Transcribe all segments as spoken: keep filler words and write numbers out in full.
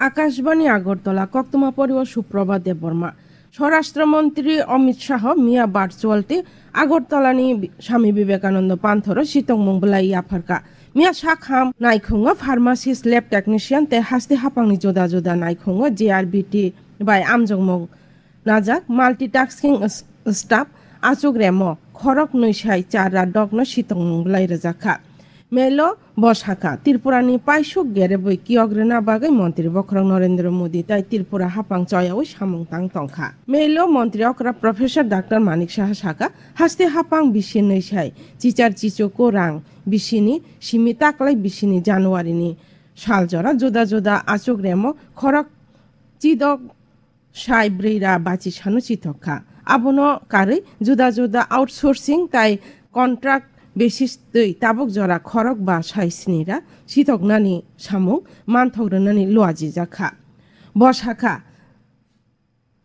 Akashbani Agartala, koktwma poriwo Suprabha Debbarma. Swarashtra Montri Amit Shah miya virtual tei Agartalani Swami Vivekananda Panthoro sitongmung bwlai yapharkha. Miya sakham naikhungo pharmacist, lab technician tei haste haphangni juda juda naikhungo J R B T bai amjokmung najak multitasking s-, staff achuk remo khorok nwi sai char ra dokno sitongmung bwlai rwjakha. Melo bo sakha, Tripurani paisuk gerebwi kiyok rwna bagwi Montri Bokhorok Narendra Modi tai Tripura haphang choyaui samung tang tongkha. Melo Montri okra Professor Doctor Manik Saha sakha, haste haphang bisi nwi sai chichar chichuku rang bisini simi taklai bisini January ni sal jora juda juda achuk remo khorok chidok sai bwrwi ra bachi sano chithok kha. Abono karwi juda juda outsourcing tai contract basis twi tabuk jora khorok ba sai sni ra chithoknani samung manthok rwnani luajijak kha. Bo sakha,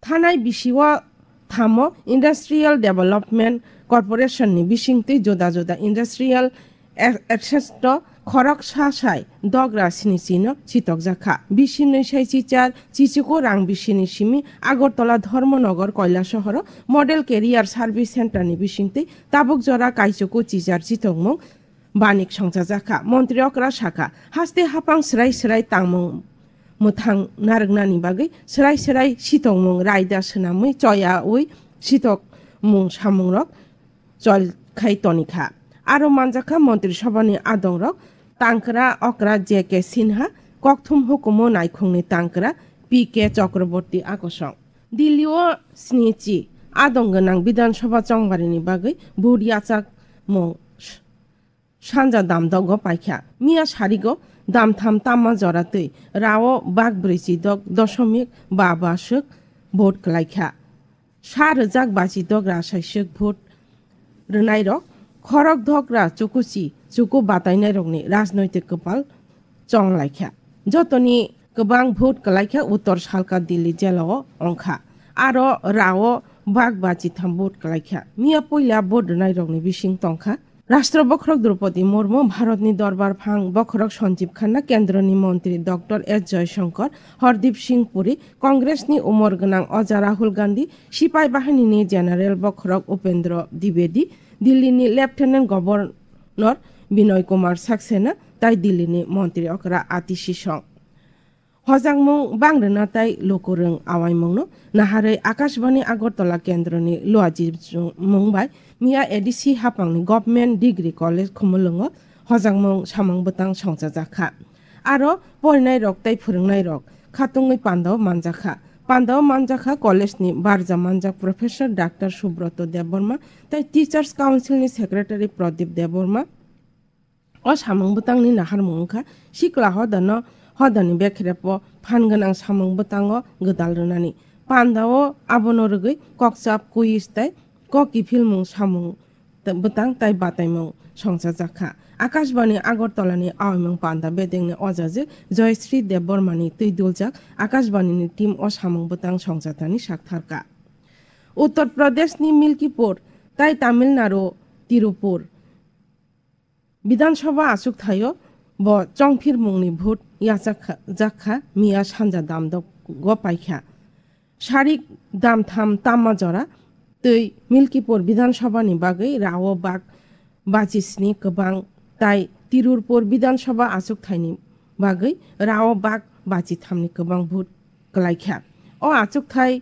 thanai bisio thamo Industrial Development Corporation ni bisingtwi juda juda industrial e-, executive khoroksa sai dogra sinichi no chitokjakha. Bisi nwi sai chichar chichiko rang bisini simi Agartala Dharmanagar Kailashahar o Model Career Service Center ni bisingtwi tabuk jora kaichoko chichar chitokmung banik songchajakha. Montri okra sakha, haste haphang swrai swrai tangmung mwthang narwknani bagwi swrai swrai sitokmung raida swnamwi choyaui sitokmung samungrok chol khai tonikha. Aro manjakha Montri Sabhani adongrok tangkra okra J K Sinha, kokthum hukumu naikhungni tangkra P K Chakraborty akosong. Delhi o snichi adong gwnang Bidhan Sabha chongbarini bagwi vote yachakmung sanja damdogo paikha. Miya sarigo damtham tamma jora twi rao bak brwichi dok dosomik ba ba swk vote kwlaikha. Sa rwjak bachi dogra saiswk vote rwnairok khorok dogra chukuchi chuku batainairokni rajnoitik kwpal chonglaikha. Jotoni kwbang vote kwlaikha Uttor Salka Delhi jelao wngkha. Aro rao bak bachi tham vote kwlaikha. Miya puila vote rwnairokni bising tongkha Rashtra Bokhorok Droupadi Murmu, Bharatni Dorbar Phang Bokhorok Sanjeev Khanna, Kendroni Montri Doctor S Jaishankar, Hardeep Singh Puri, Congressni umor gwnang oja Rahul Gandhi, Sipai Bahinini General Bokhorok Upendra Dwivedi, Dillini Lieutenant Governor Binoy Kumar Saxena, tai Dillini Montri okra Atishi Song. Hojakmung bangrwna tai lukurwng awaimungno naharwi Akashbani Agartala kendroni luajimung bai miya A D C haphangni Government Degree College Khumulwngo hojakmung samung bwtang songchajakha. Aro porinairok tei phwrwngnairok khatungwi pandao manjakha. Pandao manjakha college ni barja manjak Professor Doctor Subroto Debbarma tei Teachers Council ni Secretary Pradip Debbarma. O samung bwtangni naharmung wngkha sikla hodano hodani bekrepo phan gwnang samung bwtango gwdal rwnani. Pandao abono rwgwi kokchap, quiz tei kok kiphilmung samung t-, bwtang tai bataimung songchajakha. Akashbani Agartalani awaimung panda bedengni ojajwk Joyashree Debbarmani twi duljak Akashbanini team o samung bwtang songchatani saktharkha. Uttar Pradeshni Milkipur tai Tamil Nadu Tirupur Bidhan Sabha achukthaio bo chongphirmungni vote yachakha, jakha miya sanja damdogo paikha. Sarik damtham tamma jora twi Milkipur Bidhan Sabhani bagwi rao bak bachi sni kwbang tai Tirurpur Bidhan Sabha achukthaini bagwi rao bak bachi thamni kwbang vote kwlaikha. O achukthai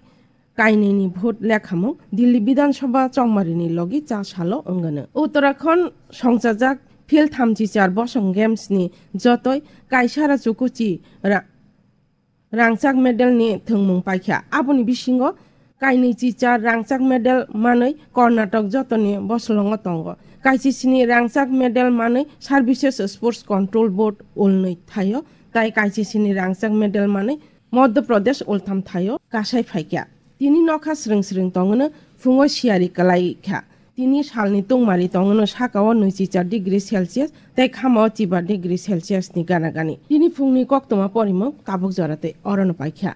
kainwini vote lekhamung Delhi Bidhan Sabha chongmarini logi cha salo wngano. Uttarakhand songchajak phil thamchi char bosong games ni jotoi kaisara chukuchi ra-, rangchak medal ni thwngmung paikha. Aboni bisingo kainwi chi char rangchak medal manwi Karnataka jotoni bosolongo tongo. Kaisisini rangchak medal manwi Services Sports Control Board ulnwi thaio, tai kaisisini rangchak medal manwi Madhya Pradesh ultham thaio kasai phaikha. Tini nokha srwng srwng tongwno phungo siyari kwlaikha. Tini salni tungmari tongwno sakao nwichichar degree Celsius tei khamao chiba degree Celsius ni gana gani. Tini phungni koktwma porimung tabuk jora tei orono paikha.